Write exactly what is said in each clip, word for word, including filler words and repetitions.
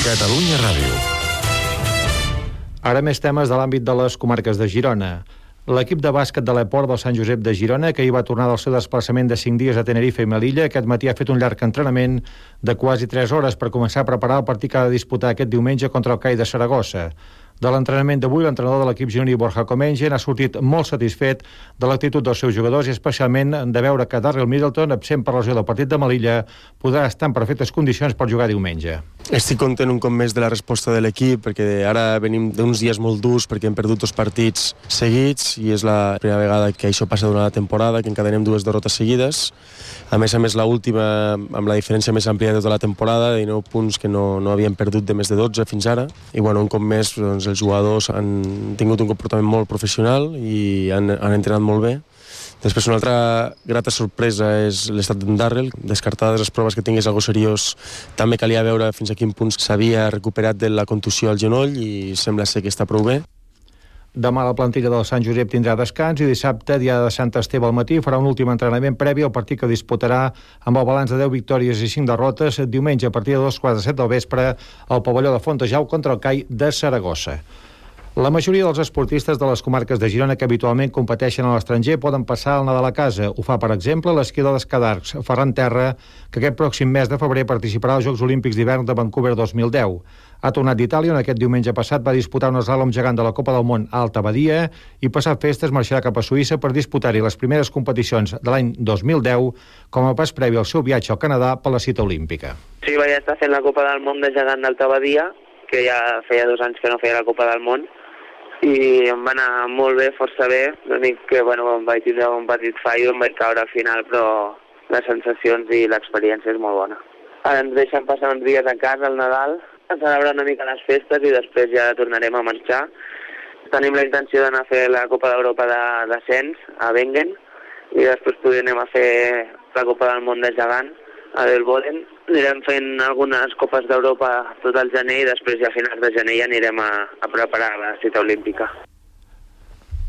Catalunya Ràdio. Ara més temes de l'àmbit de les comarques de Girona. L'equip de bàsquet de l'Eport del Sant Josep de Girona, que hi va tornar del seu desplaçament de cinc dies a Tenerife i Melilla, aquest matí ha fet un llarg entrenament de quasi tres hores per començar a preparar el partit que ha de disputar aquest diumenge contra el C A I de Saragossa. De l'entrenament d'avui, l'entrenador de l'equip gironí Borja Comengen ha sortit molt satisfet de l'actitud dels seus jugadors i especialment de veure que Darrell Middleton, absent per lesió del partit de Melilla, podrà estar en perfectes condicions per jugar diumenge. Estic content un cop més de la resposta de l'equip, perquè ara venim d'uns dies molt durs perquè hem perdut dos partits seguits i és la primera vegada que això passa durant la temporada, que encadenem dues derrotes seguides. A més a més, l'última amb la diferència més àmplia de tota la temporada, de dinou punts que no, no havíem perdut de més de dotze fins ara. I bueno, un cop més, doncs, els jugadors han tingut un comportament molt professional i han, han entrenat molt bé. Després, una altra grata sorpresa és l'estat d'en Darrell. Descartades les proves que tingués algo seriós, també calia veure fins a quin punt s'havia recuperat de la contusió al genoll i sembla ser que està prou bé. Demà la plantilla del Sant Josep tindrà descans i dissabte, dia de Sant Esteve al matí, farà un últim entrenament previ al partit que disputarà amb el balanç de deu victòries i cinc derrotes diumenge a partir de dos quarts de set del vespre al pavelló de Fontejau contra el C A I de Saragossa. La majoria dels esportistes de les comarques de Girona que habitualment competeixen a l'estranger poden passar el Nadal a casa. Ho fa, per exemple, l'esquiador d'Escadarcs, Ferran Terra, que aquest pròxim mes de febrer participarà als Jocs Olímpics d'hivern de Vancouver dos mil deu. Ha tornat d'Itàlia, on aquest diumenge passat va disputar un eslàlom gegant de la Copa del Món a Alta Badia i passat festes marxarà cap a Suïssa per disputar-hi les primeres competicions de l'any dos mil deu com a pas previ al seu viatge al Canadà per la cita olímpica. Sí, vaig estar fent la Copa del Món de gegant d'Alta Badia, que ja feia dos anys que no feia la Copa del Món, i em va anar molt bé, força bé. L'únic que, bueno, em vaig tindre un petit fallo, em vaig caure al final, però les sensacions i l'experiència és molt bona. Ara ens deixen passar uns dies a casa al Nadal, a celebrar una mica les festes i després ja tornarem a marxar. Tenim la intenció d'anar a fer la Copa d'Europa de descens a Wengen i després potser anem a fer la Copa del Món de gegant a Delboden. Anirem fent algunes Copes d'Europa tot el gener i després ja a finals de gener ja anirem a, a preparar la cita olímpica.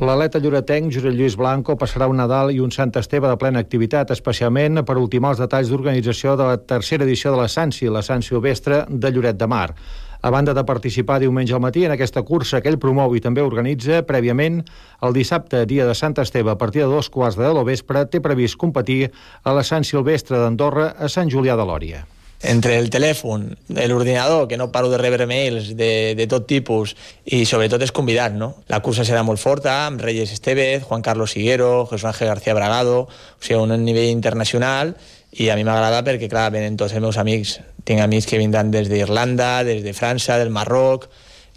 L'atleta lloretenc Josep Lluís Blanco passarà un Nadal i un Sant Esteve de plena activitat, especialment per ultimar els detalls d'organització de la tercera edició de la Sansi, la Sant Silvestre de Lloret de Mar. A banda de participar diumenge al matí en aquesta cursa que ell promou i també organitza, prèviament, el dissabte, dia de Sant Esteve, a partir de dos quarts de deu del vespre, té previst competir a la Sant Silvestre d'Andorra a Sant Julià de Lòria. Entre el telèfon, l'ordinador, que no paro de rebre mails de, de tot tipus, i sobretot els convidats, no? La cursa serà molt forta, amb Reyes Estevez, Juan Carlos Higuero, José Ángel García Bragado, o sigui, un nivell internacional, i a mi m'agrada perquè, clar, venen tots els meus amics. Tinc amics que vindran des d'Irlanda, des de França, del Marroc,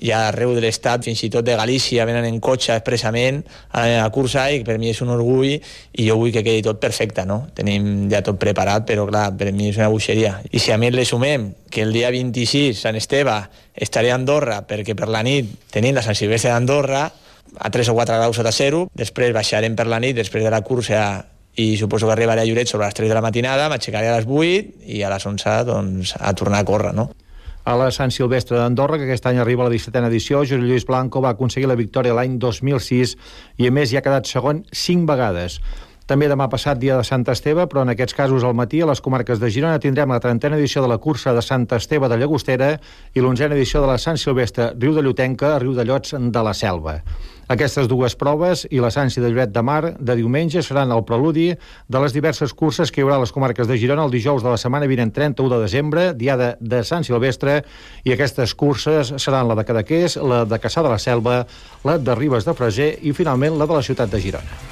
i arreu de l'estat, fins i tot de Galícia, venen en cotxe expressament a la cursa i per mi és un orgull i jo vull que quedi tot perfecte, no? Tenim ja tot preparat, però clar, per mi és una bogeria. I si a més le sumem que el dia vint-i-sis, Sant Esteve, estaré a Andorra perquè per la nit tenim la Sant Silvestre d'Andorra a tres o quatre graus sota zero, després baixarem per la nit, després de la cursa i suposo que arribaré a Lloret sobre les tres de la matinada, m'aixecaré a les vuit i a les onze doncs, a tornar a córrer, no? A la Sant Silvestre d'Andorra, que aquest any arriba a la dissetena edició, Josep Lluís Blanco va aconseguir la victòria l'any dos mil sis i a més hi ha quedat segon cinc vegades. També demà passat, dia de Sant Esteve, però en aquests casos al matí a les comarques de Girona tindrem la trentena edició de la cursa de Sant Esteve de Llagostera i l'onzena edició de la Sant Silvestre Riu de Llotenca a Riu de Llots de la Selva. Aquestes dues proves i la Sansi de Lloret de Mar de diumenge seran el preludi de les diverses curses que hi haurà a les comarques de Girona el dijous de la setmana vinent trenta-u de desembre, diada de Sant Silvestre, i aquestes curses seran la de Cadaqués, la de Cassà de la Selva, la de Ribes de Freser i finalment la de la ciutat de Girona.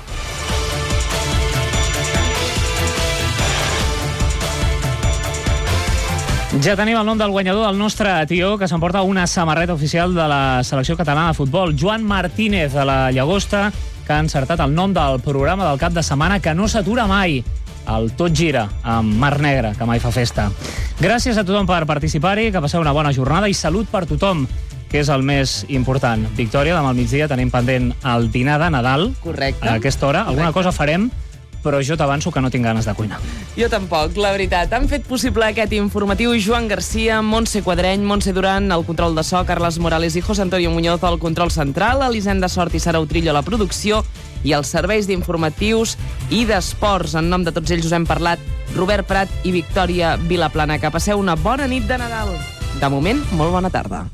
Ja tenim el nom del guanyador del nostre tió, que s'emporta una samarreta oficial de la selecció catalana de futbol. Joan Martínez, de la Llagosta, que ha encertat el nom del programa del cap de setmana que no s'atura mai. El Tot Gira, amb Mar Negra, que mai fa festa. Gràcies a tothom per participar-hi, que passeu una bona jornada i salut per tothom, que és el més important. Victòria, demà al migdia tenim pendent el dinar de Nadal. Correcte. A aquesta hora. Alguna cosa farem, però jo t'avanço que no tinc ganes de cuinar. Jo tampoc, la veritat. Han fet possible aquest informatiu Joan Garcia, Montse Quadreny, Montse Duran, el control de so, Carles Morales i José Antonio Muñoz al control central, Elisenda Sort i Sara Utrillo a la producció i els serveis d'informatius i d'esports. En nom de tots ells us hem parlat Robert Prat i Victòria Vilaplana. Que passeu una bona nit de Nadal. De moment, molt bona tarda.